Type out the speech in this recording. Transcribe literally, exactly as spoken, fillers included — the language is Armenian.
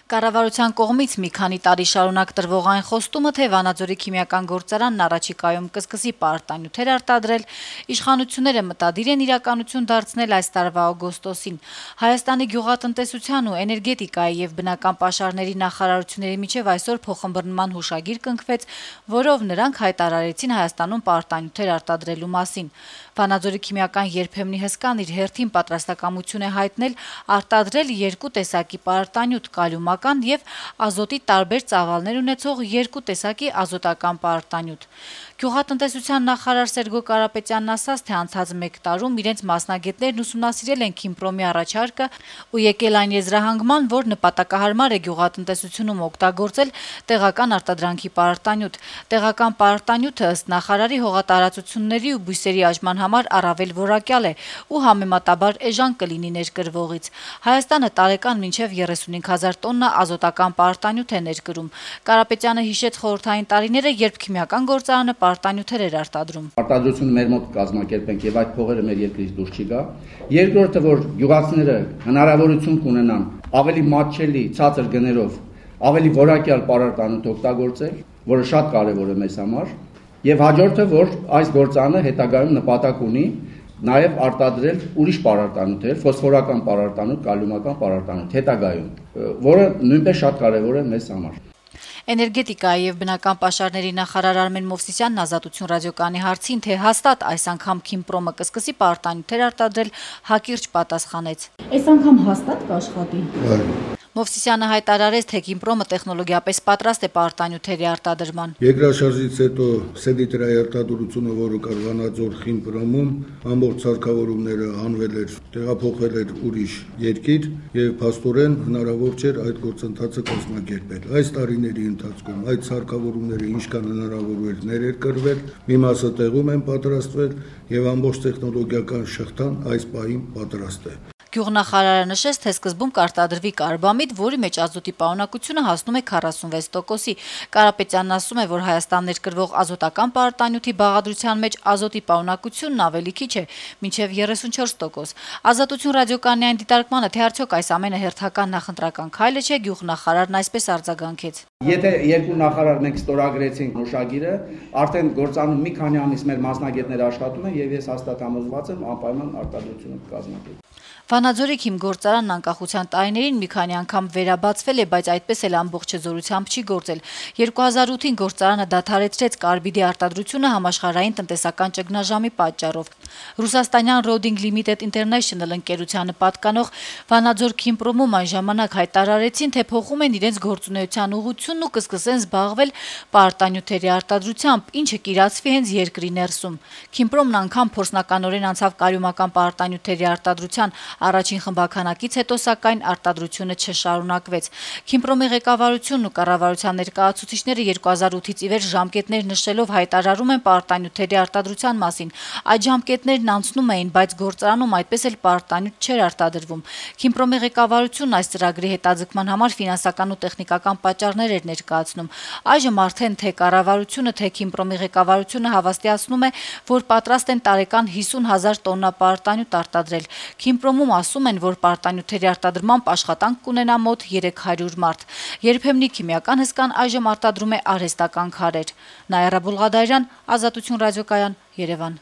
Կառավարության կողմից մի քանի տարի շարունակ տրվող այն խոստումը, թե Վանաձորի քիմիական գործարանն առաջիկայում կսկսի պարարտանյութեր արտադրել, իշխանությունները մտադիր են իրականություն դարձնել այս տարվա օգոստոսին։ Հայաստանի գյուղատնտեսության ու էներգետիկայի եւ բնական պաշարների նախարարությունների միջև այսօր փոխըմբռնման հուշագիր կնքվեց, որով նրանք հայտարարեցին Հայաստանում պարարտանյութեր արտադրելու մասին։ Վանաձորի քիմիական երբեմնի հսկան իր հերթին պատրաստակամություն է հայտնել արտադրել երկու տեսակի պարարտանյութ՝ կալիումական եւ ազոտի տարբեր ծավալներ ունեցող երկու տեսակի ազոտական պարարտանյութ։ Գյուղատնտեսության նախարար Սերգո Կարապետյանն ասաց, թե անցած մեկ տարում իրենց մասնագետներն ուսումնասիրել են Քիմպրոմի առաջարկը ու եկել այն եզրահանգման, որ նպատակահարմար է գյուղատնտեսությունում օգտագործել տեղական արտադրանքի պարարտանյութ։ Տեղական պարարտանյութը ըստ նախարարի հողատարածությունների ու բույսերի աճման համար առավել որակյալ է ու համեմատաբար էժան կլինի ներկրվողից։ Հայաստանը տարեկան մինչև երեսունհինգ հազար տոննա ազոտական պարարտանյութ է ներկրում։ Կարապետյանը հիշեց խորհրդային տարիները, երբ քիմիական գործարանը պարարտանյութեր էր արտադրում։ Արտադրությունը մեր մոտ կազմակերպենք եւ այդ փողերը մեր երկրից դուրս չի գա։ Երկրորդը, որ գյուղացիները հնարավորություն կունենան ավելի մատչելի ցածր գներով ավելի որակյալ պարարտանյութ օգտագործել, որը շատ կարեւոր է մեզ համար, եւ հաջորդը, որ այս գործարանը հետագայում նպատակ ունի նաև արտադրել ուրիշ պարարտանյութեր, ֆոսֆորական պարարտանյութ, կալիումական պարարտանյութ հետագայում, որը նույնպես շատ կարևոր է մեզ համար։ Էներգետիկայի եւ բնական պաշարների նախարար Արմեն Մովսիսյանն Ազատություն ռադիոկայանի հարցին, թե հաստատ այս անգամ Քիմպրոմը կսկսի պարարտանյութեր արտադրել, հակիրճ պատասխանեց. Այս անգամ հաստատ կաշխատի։ Մովսիսյանը հայտարարեց, թե Քիմպրոմը տեխնոլոգիապես պատրաստ է պարարտանյութերի արտադրման։ Երկրաշարժից հետո սելիտրայի արտադրությունը, որը կար Վանաձոր Քիմպրոմում, ամբողջ սարքավորումները անվել էր, տեղափոխվել էր ուրիշ երկիր եւ փաստորեն հնարավոր չէր այդ գործընթացը կազմակերպել։ Այս տարիների ընթացքում այդ սարքավորումները ինչքան հնարավոր էր ներերկրվել, մի մասը տեղում են պատրաստվել եւ ամբողջ տեխնոլոգիական շղթան այս պահին պատրաստ է։ Գյուղնախարարը նշեց, թե սկզբում կարտադրվի կարբամիդ, որի մեջ ազոտի պարունակությունը հասնում է քառասունվեց տոկոսի։ Կարապետյանն ասում է, որ Հայաստան ներկրվող ազոտական պարարտանյութի բաղադրության մեջ ազոտի պարունակությունն ավելի քիչ է, մինչև երեսունչորս տոկոս։ Ազատություն ռադիոկայանի այն դիտարկմանը, թե արդյոք այս ամենը հերթական նախընտրական քայլը չէ, գյուղնախարարն այսպես արձագանքեց. Եթե երկու նախարար մենք ստորագրեցինք նոշագիրը, արդեն գործանում մի քանի ամիս մեր մասնագետները աշխատում են եւ ես հաստատ համոզված եմ անպայման արտադրությունը կկազմակերպվի։ Վանաձորի քիմգործարանն անկախության տարիներին մի քանի անգամ վերաբացվել է, բայց այդպես էլ ամբողջ զորությամբ չի գործել։ երկու հազար ութին գործարանը դադարեցրեց կարբիդի արտադրությունը համաշխարհային տնտեսական ճգնաժամի պատճառով։ Ռուսաստանյան Roding Limited International ընկերությանը պատկանող Վանաձոր Քիմպրոմում այն ժամանակ հայտարարեցին, թե փոխում են իրենց գործունեության ուղղությունն ու կսկսեն զբաղվել պարարտանյութերի արտադրությամբ, ինչը կիրացվի հենց երկրի ներսում։ Քիմպրոմն անգամ փորձնականորեն անցավ կալիումական պարարտանյութերի արտադրության առաջին խմբականակից հետո, սակայն արտադրությունը չշարունակվեց։ Քիմպրոմի ղեկավարությունն ու կառավարության ներկայացուցիչները երկու հազար ութից ի վեր ժամկետներ նշելով հայտարարում են պարարտանյութերի արտադրության մասին։ Այդ ժամկետներն անցնում էին, բայց գործարանում այդպես էլ պարարտանյութ չէր արտադրվում։ Քիմպրոմի ղեկավարությունն այս ծրագրի հետաձգման համար ֆինանսական ու տեխնիկական պատճառներ էր ներկայացնում։ Այժմ արդեն թե կառավարությունը, թե Քիմպրոմի ղեկավարությունը հավաստիացնում է, որ պատրաստ են տարեկան հիսուն հազար տոննա պարարտանյութ արտադրել։ Քիմպրոմում ասում են, որ պարարտանյութերի արտադրմամբ աշխատանք կունենա մոտ երեք հարյուր մարդ։ Երբեմնի քիմիական հսկան այժմ արտադրում է արհեստական քարեր։ Նաիրա Բուլղադարյան, Ազատություն ռադիոկայան, Երևան։